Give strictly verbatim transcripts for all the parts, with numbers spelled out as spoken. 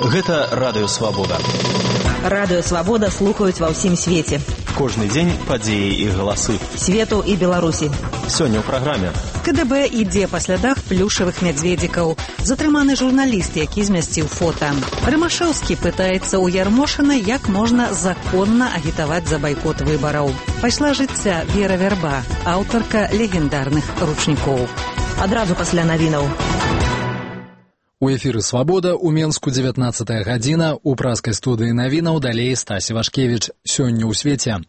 Гэта Радыё Свабода. Радыё Свабода слухаюць ва ўсім свеце. Кожны дзень падзеі і галасы. Свету і Беларусі. Сёння ў праграме. КДБ ідзе па слядах плюшавых мядзведзікаў. Затрыманы журналіст, які змясціў фота. Рымашэўскі пытаецца ў Ярмошына, як можна законна агітаваць за байкот выбараў. Пайшла жыцця Вера Вярба, аўтарка легендарных ручнікоў. Адразу пасля навінаў. У эфіры «Свабода» у Менску дзевятнаццатая гадзіна, у праскай студыі навінаў далей Стась Івашкевіч. Сёння ў свеце.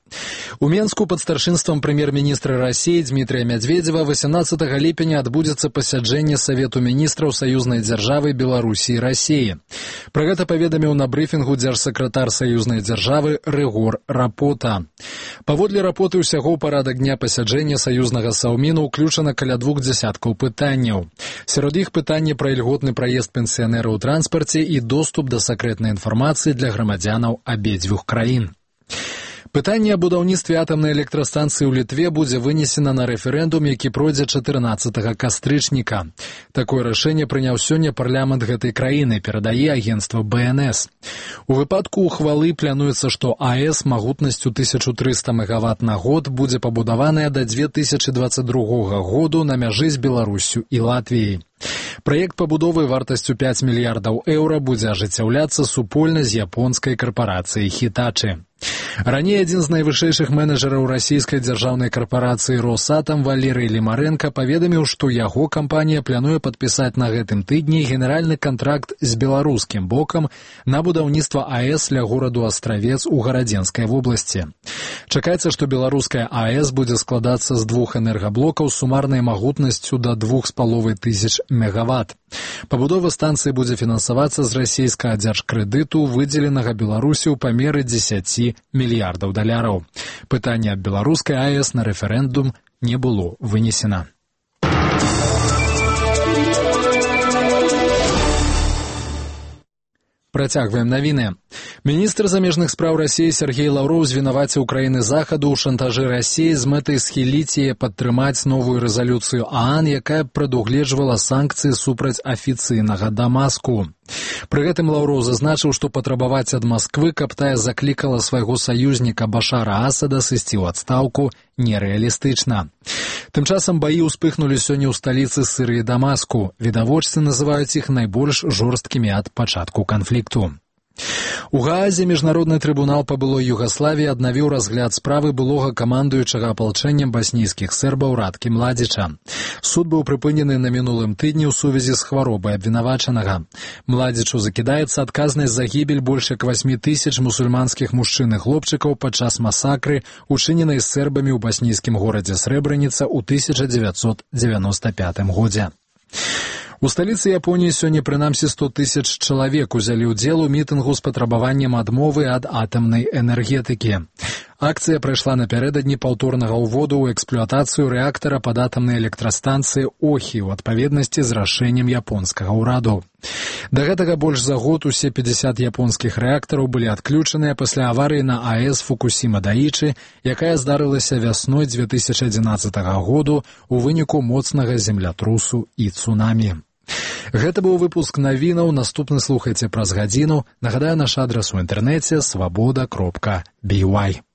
У Менску пад старшынствам прэм'ер-міністра Расіі Дмітрия Медведева восемнадцатага ліпеня адбудзецца пасяджэнне Савету міністраў саюзнай дзяржавы Беларусі і Расіі. Пра гэта паведаміў на брыфінгу дзяржсакратар саюзнай дзяржавы Рыгор Рапота. Паводле Рапоты ўсяго ў парадак дня пасяджэння саюзнага саўміну ўключана каля двух дзясяткаў пытанняў. Сярод іх пытанне пра ільготны праезд пенсіянераў у транспарце і доступ да сакрэтнай інфармацыі для грамадзянаў абедзвюх краін. Пытанне аб будаўніцтве атамнай электрастанцыі ў Літве будзе вынесена на рэферэндум, які пройдзе чатырнаццатага кастрычніка. Такое рашэнне прыняў сёння парламент гэтай краіны, перадае агенцтва бэ эн эс. У выпадку ухвалы плануецца, што АЭС магутнасцю тысячу трыста мегаватт на год будзе пабудаваная да дзве тысячы дваццаць другога году на мяжы з Беларуссю і Латвіяй. Праект пабудовы вартасцю пяць мільярдаў еўра будзе ажыццяўляцца супольна з японскай карпарацыяй «Хітачы». Раней адзін з найвышэйшых менеджераў расійскай дзяржаўнай карпорацыі «Росатам» Валерый Лімарэнка паведаміў, што яго кампанія плануе падпісаць на гэтым тыдні генеральны кантракт з беларускім бокам на будаўніцтва АЭС ля гораду Астравец у Гарадзенскай вобласці. Чакаецца, што беларуская АЭС будзе складацца з двух энергаблокаў з сумарнай магутнасцю да двух з паловай тысяч мегаватт. Пабудова станцыі будзе фінансавацца з расійскага дзяржкрэдыту, выдзеленага Беларусі ў памеры дзесяці мільярдаў даляраў. Пытанне аб беларускай АЭС на рэферэндум не было вынесена. Працягваем навіны. Міністр замежных спраў Расіі Сергей Лаўроў звінаваціў краіны захаду ў шантажы Расіі з мэтай схіліць яе падтрымаць новую рэзалюцыю ААН, якая прадугледжвала санкцыі супраць афіцыйнага Дамаску. Пры гэтым Лаўроў зазначыў, што патрабаваць ад Масквы, каб тая заклікала свайго саюзніка Башара Асада сысці ў адстаўку, нерэалістычна. Тым часам баі ўспыхнулі сёння ў сталіцы Сырыі Дамаску. Відавочцы называюць іх найбольш жорсткімі ад пачатку канфлікту. У Гаазе міжнародны трыбунал па былой Югаславіі аднавіў разгляд справы былога камандуючага апалчэннем баснійскіх сербаў Радкі Младзіча. Суд быў прыпынены на мінулым тыдні ў сувязі з хваробай абвінавачанага. Младзічу закідаецца адказнасць за гібель больш як васьмі тысяч мусульманскіх мужчын і хлопчыкаў падчас масакры, учыненай сербамі ў баснійскім горадзе Срэбраніца ў тысяча дзевяцьсот дзевяноста пятым годзе. У сталіцы Японіі сёння прынамсі сто тысяч чалавек узялі ўдзел у мітынгу з патрабаваннем адмовы ад атамнай энергетыкі. Акцыя прайшла напярэдадні паўторнага ўводу ў эксплуатацыю рэактара пад атамнай электрастанцыі Охі ў адпаведнасці з рашэннем японскага ўраду. Да гэтага больш за год усе пятьдесят японскіх рэактараў былі адключаныя пасля аварыі на АЭС Фукусіма-Даічы, якая здарылася вясной дзве тысячы адзінаццатага году ў выніку моцнага землятрусу і цунамі. Гэта быў выпуск навінаў, наступны слухайце праз гадзіну. Нагадаю, наш адрас у інтэрнэце свабода кропка бі вай.